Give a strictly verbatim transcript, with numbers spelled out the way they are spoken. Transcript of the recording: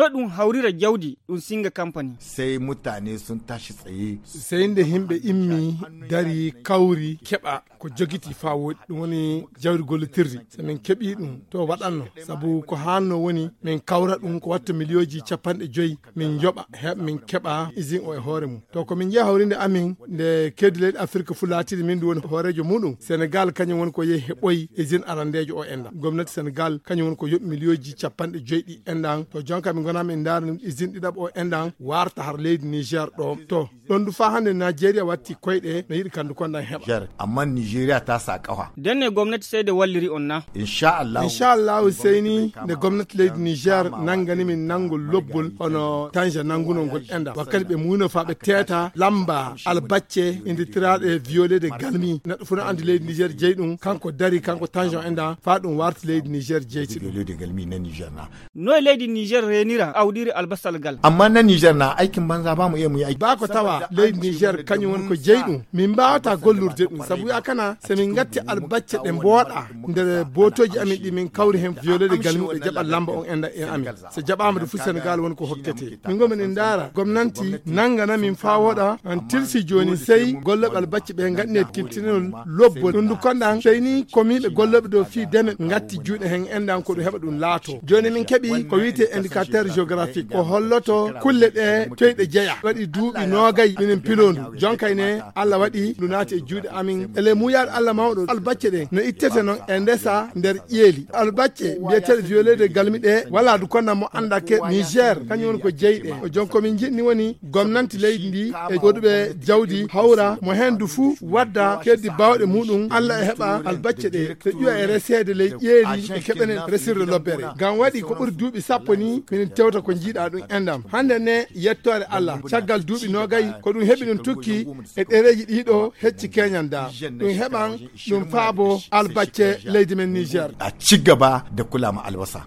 Ɗum hawrira jawdi, ɗum singa kampani. Sai mutane sun tashi tsaye. Sai nde himɓe immi, dari, kawri, keɓa ko jogiti faa woɗi. Ɗum woni jawdi gollitirdi. So min keɓi ɗum, to waɗanno. Sabu ko hanno woni, min kawra ɗum ko watta miliyooji capanɗe joyi, min joɓa, heɓ min keɓa izin o e hoore mum. To ko min njeya hawrinde amin, nde keedi leyɗe Afirka fu laatiri min ɗum woni hooreejo muɗum, Senegal kañum woni ko yehi heɓoyi izin arandeejo o enɗan. Gomnati Senegal kañum woni ko yoɓi miliyooji capanɗe joyi ɗi enɗan. To jonka min ngona min ndaara ɗum izin ɗiɗaɓo o enɗan, warta har leydi Niger ɗo. To, ɗon du faa hannde Nigeria watti koyɗe no yiɗi kandu konɗan heɓa. Niger, amma Nigeria ta sa ƙafa. Denne gomnati sai de walliri on na? Insha Allah. Insha Allah, sai ni nde gomnati leydi Niger nangani min nangol lobbol hono Tanja nangunol ngol enɗan. Wakkati ɓe muuyno faa ɓe teeta lamba albacce inditiraaɗe viole de galmi. Neɗɗo fu no andi leydi Niger jeyi ɗum, kanko dari, kanko Tanja enɗan, faa ɗum warti leydi Niger jeytiɗum. Viole de galmi na Niger na. Noy leydi Niger reenira awdiri albasal gal? Amma na Niger na aikin banza ba mu iya mu yi aiki. Ba ko tawa leydi Niger kañum woni ko jeyi ɗum. Min mbaawata gollurde ɗum, sabu wi'a kana, so min ngatti albacce ɗe mbooɗa nder bootooji amin ɗi min kawri hen viole de galmi ɓe jaɓa lamba on enɗan e amin. So jaɓaama de fu Senegal woni ko hokkete. Min ngo min ndaara, gomnanti nangana min faa woɗa, an tilsi jooni sey gollooɓe albacce ɓe ngaɗne tintinol lobbol. Ɗum du konɗan, sey ni komiiɓe gollooɓe dow fii deme ngatti juuɗe hen enɗan ko ɗum heɓa ɗum laato. Jooni min keɓi ko wi'etee indicateur géographique, ko holloto kulle ɗe toy ɗe jeya. Waɗi duuɓi noogay minen pilondu. Jonkay ne, Allah waɗi ndu naati e juuɗe amin. E ley muuyaaɗo Allah mawɗo, albacce ɗen no ittete non e ndesa nder ƴeeli. Albacce mbiyeteeɗe violé de galmi ɗe, walaa du konɗan mo anndake Niger, kañum woni ko jeyi ɗe. O jon ko min njiɗni woni gomnanti leydi ndi e goɗuɓe jawdi hawra mo hen du fuu wadda keddi baawɗe muɗum, Allah e heɓa albacce ɗe, ɓe ƴuwa e reseede ley ƴeeli e keɓenen resirde lobbere. Ngam waɗi ko ɓuri duuɓi sappo ni, minen tewta ko njiiɗa ɗum enɗam. Hannde ne, yettoore Allah, caggal duuɓi noogay, ko ɗum heɓi ɗum tukki e ɗereeji ɗiɗo hecci keñan da. Ɗum heɓan ɗum faabo albacce leydi men Niger. A ci gaba da kula ma albasa.